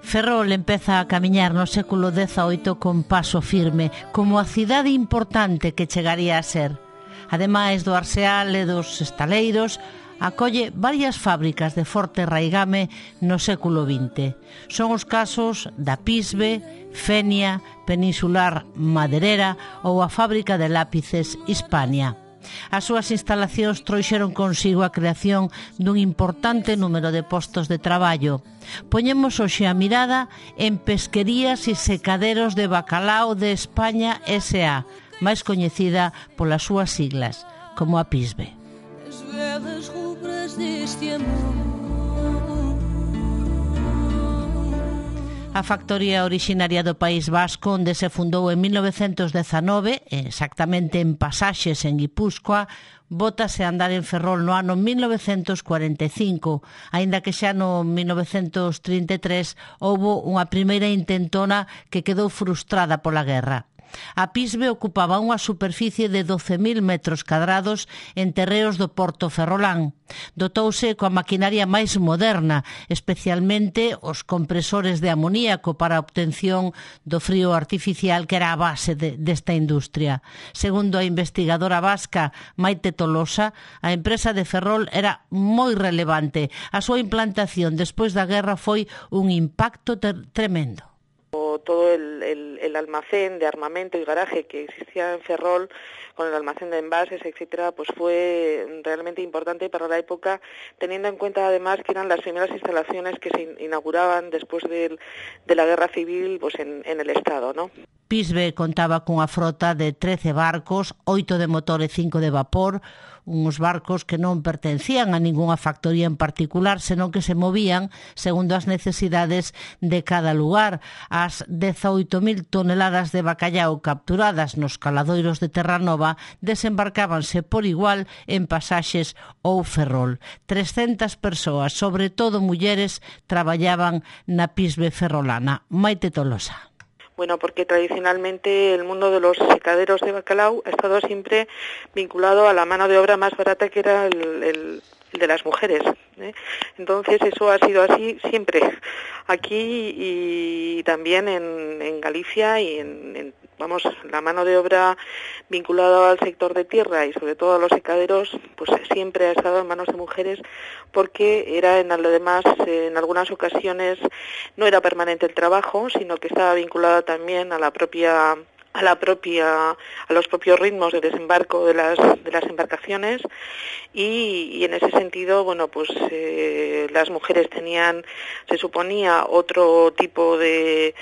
Ferrol empeza a camiñar no século XVIII con paso firme, como a cidade importante que chegaría a ser. Ademais do arseal e dos estaleiros, acolle varias fábricas de forte raigame no século XX. Son os casos da Pisbe, Fenia, Peninsular Maderera ou a fábrica de lápices Hispania. As súas instalacións trouxeron consigo a creación dun importante número de postos de traballo. Poñemos hoxe a mirada en Pesquerías e Secaderos de Bacalao de España S.A., máis coñecida polas súas siglas, como a Pisbe. As velas rubras deste amor. A factoría originaria do País Vasco, onde se fundou en 1919, exactamente en Pasaxes, en Guipúzcoa, bótase a andar en Ferrol no ano 1945, aínda que xa no 1933 houbo unha primeira intentona que quedou frustrada pola guerra. A Pisbe ocupaba unha superficie de 12.000 metros cadrados en terreos do Porto Ferrolán. Dotouse coa maquinaria máis moderna, especialmente os compresores de amoníaco para a obtención do frío artificial que era a base desta industria. Segundo a investigadora vasca Maite Tolosa, a empresa de Ferrol era moi relevante. A súa implantación despois da guerra foi un impacto tremendo. Todo el almacén de armamento y garaje que existía en Ferrol, con el almacén de envases, etcétera, pues fue realmente importante para la época, teniendo en cuenta además que eran las primeras instalaciones que se inauguraban después de la guerra civil, pues en el Estado, ¿no? Pisbe contaba cunha frota de 13 barcos, 8 de motor e 5 de vapor, uns barcos que non pertencían a ningunha factoría en particular, senón que se movían segundo as necesidades de cada lugar. As 18.000 toneladas de bacallau capturadas nos caladoiros de Terranova desembarcábanse por igual en Pasaxes ou Ferrol. 300 persoas, sobre todo mulleres, traballaban na Pisbe ferrolana. Maite Tolosa. Bueno, porque tradicionalmente el mundo de los secaderos de bacalao ha estado siempre vinculado a la mano de obra más barata, que era el de las mujeres, ¿eh? Entonces eso ha sido así siempre, aquí y también en Galicia y vamos, la mano de obra vinculada al sector de tierra y sobre todo a los secaderos, pues siempre ha estado en manos de mujeres, porque era además en algunas ocasiones no era permanente el trabajo, sino que estaba vinculada también a los propios ritmos de desembarco de las embarcaciones y en ese sentido, bueno, pues las mujeres tenían, se suponía, otro tipo de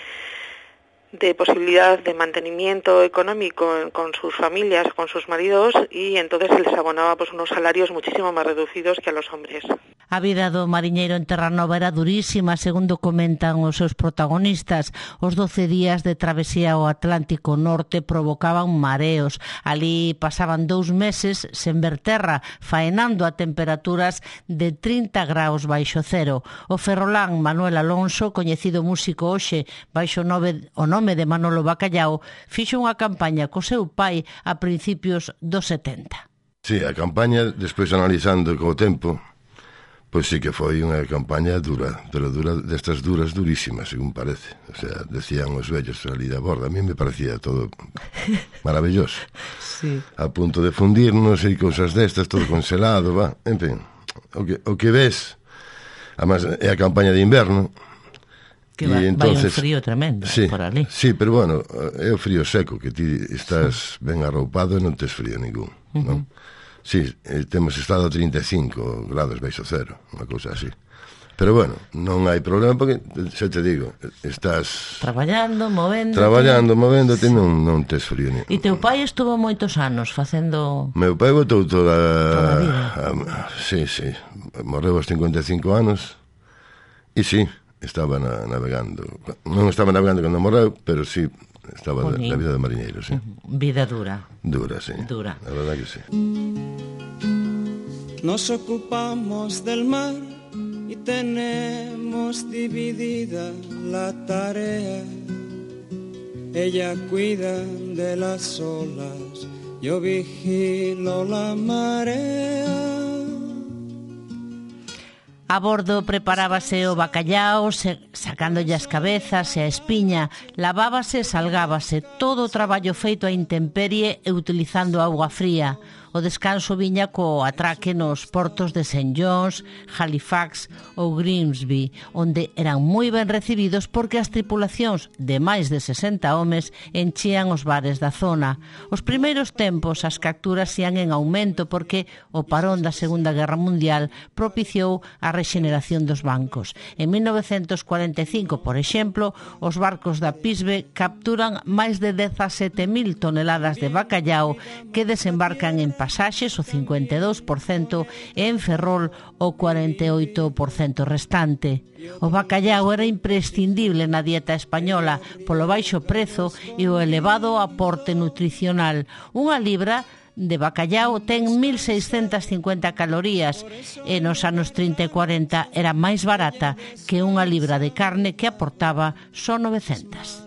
posibilidad de mantenimiento económico con sus familias, con sus maridos, y entonces se les abonaba pues unos salarios muchísimo más reducidos que a los hombres. A vida do mariñeiro en Terranova era durísima, segundo comentan os seus protagonistas. Os 12 días de travesía ao Atlántico Norte provocaban mareos. Ali pasaban 2 meses sen ver terra, faenando a temperaturas de 30 graus baixo cero. O ferrolán Manuel Alonso, coñecido músico hoxe baixo o nome de Manolo Bacallao, fixo unha campaña co seu pai a principios dos 70. Sí, a campaña, despois analizando co tempo, pois sí que foi unha campaña dura, pero destas durísimas, según parece. O sea, decían os vellos ali da borda, a mí me parecía todo maravilloso. Sí. A punto de fundirnos e cousas destas, todo congelado, va. En fin, o que ves, además é a campaña de inverno, que vai un frío tremendo, sí, por ali. Sí, pero bueno, é o frío seco, que ti estás ben arroupado e non tes frío ningún, non? Sí, temos estado a 35 grados baixo cero, unha cousa así. Pero bueno, non hai problema porque, xa te digo, estás traballando, movéndote, non tes frío ningún. E teu pai estuvo moitos anos facendo... Meu pai botou toda a vida. Sí, morreu aos 55 anos e sí, estaba navegando. Non estaba navegando cando morreu, pero sí estaba na vida de mariñeiro, sí. Vida dura. Dura, sí. Dura. La verdad que sí. Nos ocupamos del mar y tenemos dividida la tarea. Ella cuida de las olas, yo vigilo la marea. A bordo preparábase o bacallao, sacándolle as cabezas e a espiña, lavábase e salgábase, todo o traballo feito a intemperie e utilizando auga fría. O descanso viña co atraque nos portos de St. John's, Halifax ou Grimsby, onde eran moi ben recibidos porque as tripulacións de máis de 60 homes enchían os bares da zona. Os primeiros tempos as capturas ían en aumento porque o parón da Segunda Guerra Mundial propiciou a rexeneración dos bancos. En 1945, por exemplo, os barcos da Pisbe capturan máis de 17.000 toneladas de bacallao que desembarcan en pasaxes o 52% e en Ferrol o 48% restante. O bacallao era imprescindible na dieta española polo baixo prezo e o elevado aporte nutricional. Unha libra de bacallao ten 1.650 calorías e nos anos 30 e 40 era máis barata que unha libra de carne que aportaba só 900.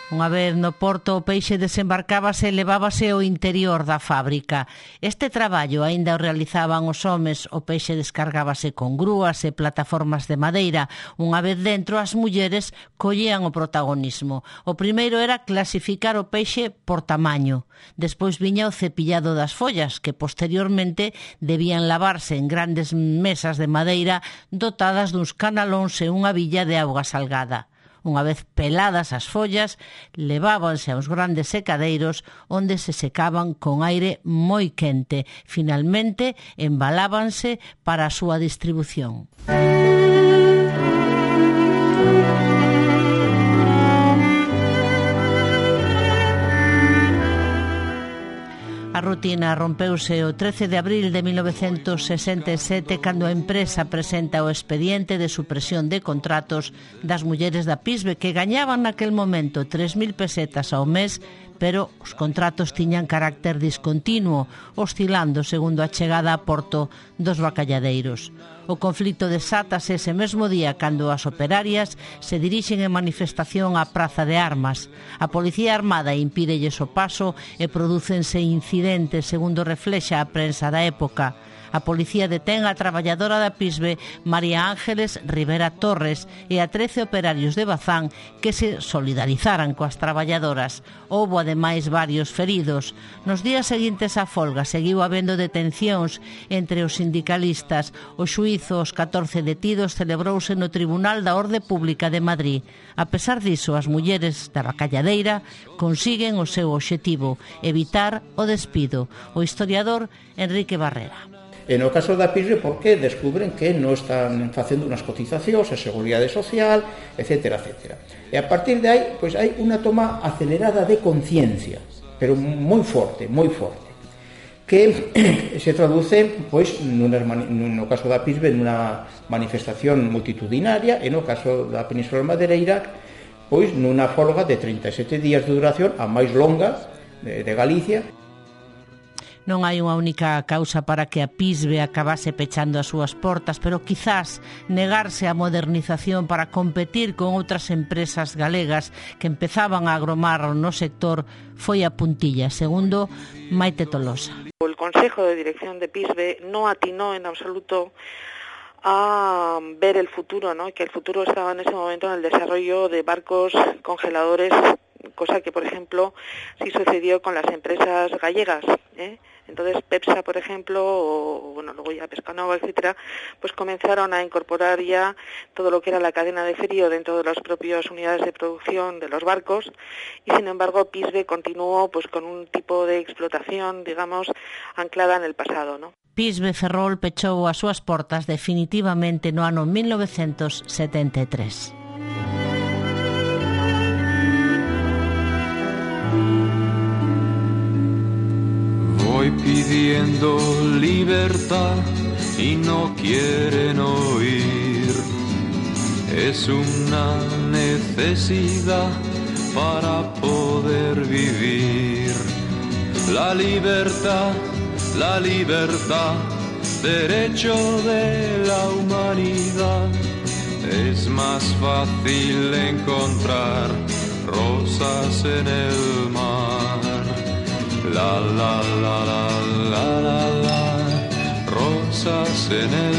Unha vez no porto o peixe desembarcábase e levábase ao interior da fábrica. Este traballo aínda o realizaban os homes, o peixe descargábase con grúas e plataformas de madeira. Unha vez dentro, as mulleres collían o protagonismo. O primeiro era clasificar o peixe por tamaño. Despois viña o cepillado das follas, que posteriormente debían lavarse en grandes mesas de madeira dotadas duns canalóns e unha billa de auga salgada. Unha vez peladas as follas, levábanse aos grandes secadeiros onde se secaban con aire moi quente. Finalmente, embalábanse para a súa distribución. A rutina rompeuse o 13 de abril de 1967 cando a empresa presenta o expediente de supresión de contratos das mulleres da Pisbe que gañaban naquel momento 3.000 pesetas ao mes, pero os contratos tiñan carácter discontinuo, oscilando segundo a chegada a porto dos bacalladeiros. O conflito desátase ese mesmo día cando as operarias se dirixen en manifestación á Praza de Armas. A Policía Armada impídelles o paso e prodúcense incidentes, segundo reflexa a prensa da época. A policía detén a traballadora da Pisbe, María Ángeles Rivera Torres, e a 13 operarios de Bazán que se solidarizaran coas traballadoras. Houbo ademais varios feridos. Nos días seguintes á folga seguiu habendo detencións entre os sindicalistas. O xuízo aos 14 detidos celebrouse no Tribunal da Orde Pública de Madrid. A pesar diso, as mulleres da bacalladeira consiguen o seu obxectivo, evitar o despido. O historiador Enrique Barrera. E no caso da Pisbe, porque descubren que non están facendo unhas cotizacións a Seguridade Social, etc., etc. E a partir de aí, pois hai unha toma acelerada de conciencia, pero moi forte, que se traduce, pois, no caso da Pisbe, nunha manifestación multitudinaria, e no caso da Península Madeireira, pois, nunha folga de 37 días de duración, a máis longa de Galicia. Non hai unha única causa para que a Pisbe acabase pechando as súas portas, pero quizás negarse á modernización para competir con outras empresas galegas que empezaban a agromar no sector foi a puntilla, segundo Maite Tolosa. El Consejo de Dirección de Pisbe no atinó en absoluto a ver el futuro, ¿no? Que el futuro estaba en ese momento en el desarrollo de barcos congeladores, cosa que, por ejemplo, sí sucedió con las empresas gallegas, Entonces Pepsa, por ejemplo, o bueno, luego ya Pescanova, etcétera, pues comenzaron a incorporar ya todo lo que era la cadena de frío dentro de las propias unidades de producción de los barcos, y sin embargo Pisbe continuó pues con un tipo de explotación, digamos, anclada en el pasado, ¿no? Pisbe Ferrol pechou as súas portas definitivamente no ano 1973. Voy pidiendo libertad y no quieren oír. Es una necesidad para poder vivir. La libertad, derecho de la humanidad. Es más fácil encontrar rosas en el mar. La la la la la la la, rosas en el